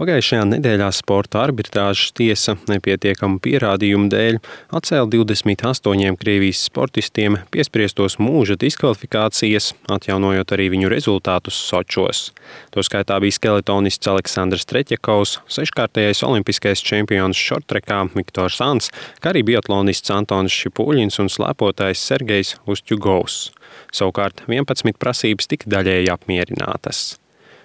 Pagājušajā nedēļā sporta arbitrāžas tiesa nepietiekamu pierādījumu dēļ atcēla 28 Krievijas sportistiem piespriestos mūža diskvalifikācijas, atjaunojot arī viņu rezultātus Sočos. Toskaitā bija skeletonists Aleksandrs Treķjakovs, seškārtējais olimpiskais čempions šortrekā Viktors Ants, kā arī biatlonists Antonis Šipuļins un slēpotājs Sergejs Ustjugovs. Savukārt 11 prasības tika daļēji apmierinātas.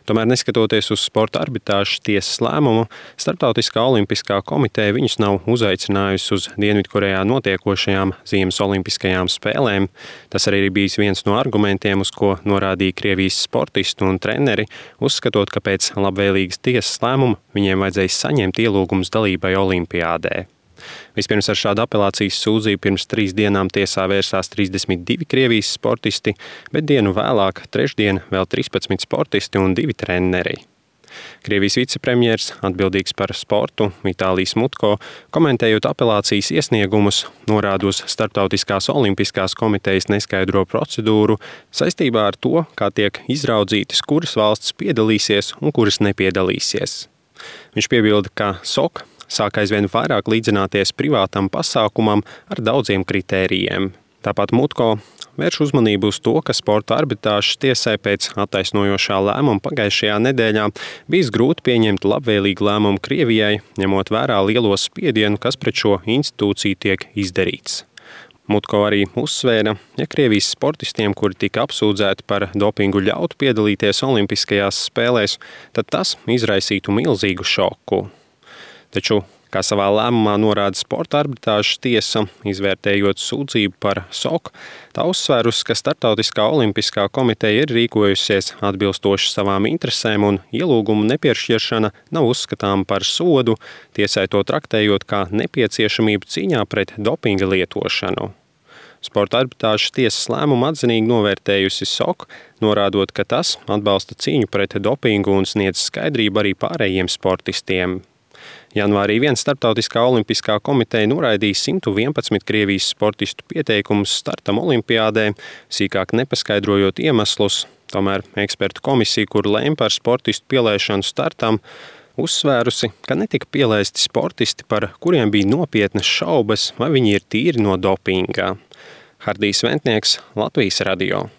Tomēr, neskatoties uz sporta arbitrāžas tiesas lēmumu, Starptautiskā olimpiskā komiteja viņus nav uzaicinājusi uz Dienvidkorejā notiekošajām Ziemas olimpiskajām spēlēm. Tas arī bijis viens no argumentiem, uz ko norādīja Krievijas sportisti un treneri, uzskatot, ka pēc labvēlīgas tiesas lēmuma viņiem vajadzēja saņemt ielūgumus dalībai olimpiādē. Vispirms ar šādu apelācijas sūdzību pirms 3 dienām tiesā vērsās 32 Krievijas sportisti, bet dienu vēlāk, trešdien, vēl 13 sportisti un 2 treneri. Krievijas vicepremjers, atbildīgs par sportu, Vitālijs Mutko, komentējot apelācijas iesniegumus, norāda uz Starptautiskās olimpiskās komitejas neskaidro procedūru saistībā ar to, kā tiek izraudzītas, kuras valsts piedalīsies un kuras nepiedalīsies. Viņš piebilda, ka SOK sāk aizvien vairāk līdzināties privātam pasākumam ar daudziem kritērijiem. Tāpat Mutko vērš uzmanību uz to, ka sporta arbitrāžas tiesai pēc attaisnojošā lēmuma pagājušajā nedēļā bijis grūti pieņemt labvēlīgu lēmumu Krievijai, ņemot vērā lielo spiedienu, kas pret šo institūciju tiek izdarīts. Mutko arī uzsvēra, ja Krievijas sportistiem, kuri tika apsūdzēti par dopingu, ļautu piedalīties olimpiskajās spēlēs, tad tas izraisītu milzīgu šoku. Taču, kā savā lēmumā norāda sporta arbitrāžas tiesa, izvērtējot sūdzību par SOK, tā uzsvērusi, ka Starptautiskā olimpiskā komiteja ir rīkojusies atbilstoši savām interesēm un ielūgumu nepiešķiršana nav uzskatāma par sodu, tiesai to traktējot kā nepieciešamību cīņā pret dopinga lietošanu. Sporta arbitrāžas tiesas lēmumu atzinīgi novērtējusi SOK, norādot, ka tas atbalsta cīņu pret dopingu un sniedz skaidrību arī pārējiem sportistiem. Janvārī viens Starptautiskā olimpiskā komiteja noraidīja 111 Krievijas sportistu pieteikumus startam olimpiādē, sīkāk nepaskaidrojot iemeslus. Tomēr ekspertu komisija, kur lēma par sportistu pielaišanu startam, uzsvērusi, ka netika pielaisti sportisti, par kuriem bija nopietnas šaubas, vai viņi ir tīri no dopinga. Hardijs Ventnieks, Latvijas radio.